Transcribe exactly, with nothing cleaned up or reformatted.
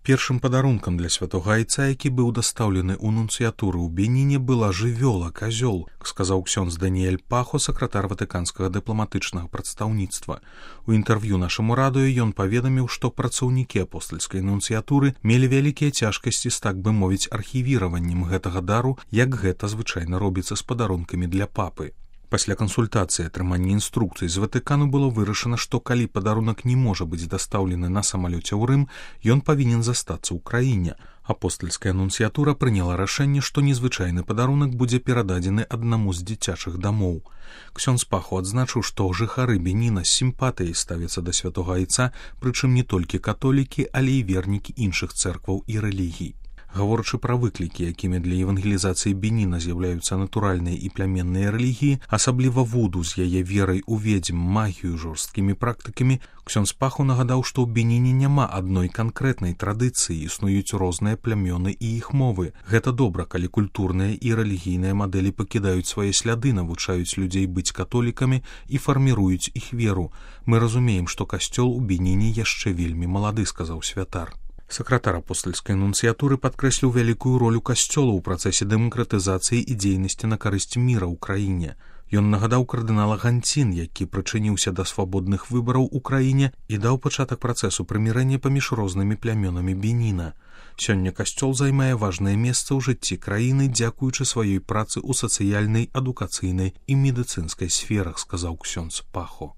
Першым падарункам для святога айца, які быў дастаўлены ў нунцыятуры ў Беніне, была жывёла, казёл, сказаў ксёндз Даніэль Пахо, сакратар ватыканскага дыпламатычнага прадстаўніцтва. У інтэрв'ю нашаму радыё ён паведаміў, што працаўнікі апостальскай нунцыятуры мелі вялікія цяжкасці з, так бы мовіць, архівіраваннем гэтага дару, як гэта звычайна робіцца з падарункамі для папы. Пасля кансультацыі атрымання інструкцый з Ватыкану было вырашана, што калі падарунак не можа быць дастаўлены на самалёце ў Рым, ён павінен застацца ў краіне. Апостальская нунцыятура прыняла рашэнне, што незвычайны падарунак будзе перададзены аднаму з дзіцячых дамоў. Ксёндз Пахо адзначыў, што жыхары Беніна з сімпатыяй ставяцца да святога айца, прычым не толькі католікі, але і вернікі іншых цэркваў і рэлігій. Гаворачы пра выклікі, якімі для евангелізацыі Беніна з'яўляюцца натуральныя і пляменныя рэлігіі, асабліва вуду з яе верай у ведзьм, магію, жорсткімі практыкамі, ксёндз Пахо нагадаў, што ў Беніне няма адной канкрэтнай традыцыі, існуюць розныя плямёны і іх мовы. Гэта добра, калі культурныя і рэлігійныя мадэлі пакідаюць свае сляды, навучаюць людзей быць католікамі і фарміруюць іх веру. Мы разумеем, што касцёл у Беніне яшчэ вельмі малады, сказаў святар. Сакратар апостальскай нунцыятуры падкрэсліў вялікую ролю касцёла ў працэсе дэмакратызацыі і дзейнасці на карысць міра ў краіне. Ён нагадаў кардынала Ганцін, які прычыніўся да свабодных выбараў у краіне і даў пачатак працэсу прымірэння паміж рознымі плямёнамі Беніна. Сёння касцёл займае важнае месца ў жыцці краіны, дзякуючы сваёй працы ў сацыяльнай, адукацыйнай і медыцынскай сферах, сказаў ксёндз Пахо.